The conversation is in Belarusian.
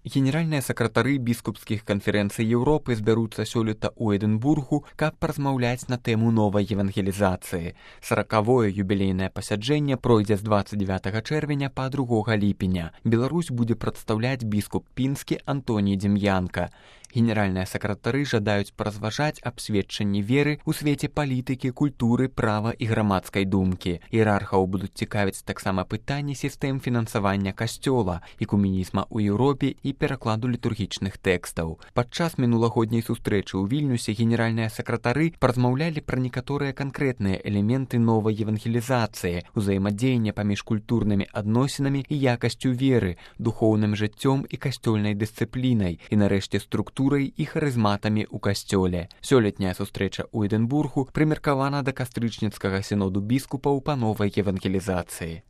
Генеральныя сакратары біскупскіх канферэнцый Еўропы збяруцца сёлета ў Эдынбургу, каб паразмаўляць на тэму новай евангелізацыі. 40-е юбілейнае пасяджэнне пройдзе з 29 чэрвеня па 2 ліпеня. Беларусь будзе прадстаўляць біскуп пінскі Антоній Дзем'янка. Генеральныя сакратары жадаюць паразважаць аб сведчанні веры ў свеце палітыкі, культуры, права і грамадскай думкі. Іерархаў будуць цікавіць таксама пытанні сістэм фінансавання касцёла, экуменізма ў Еўропе і перакладу літургічных тэкстаў. Падчас мінулагодняй сустрэчы ў Вільнюсе генеральныя сакратары паразмаўлялі пра некаторыя канкрэтныя элементы новай евангелізацыі, узаемадзеяння паміж культурнымі адносінамі і якасцю веры, духоўным жыццём і касцёльнай дысцыплінай і, нарэшце, структурай і харызматамі ў касцёле. Сёлетняя сустрэча ў Эдынбургу прымеркавана да кастрычніцкага сіноду біскупаў па новай евангелізацыі.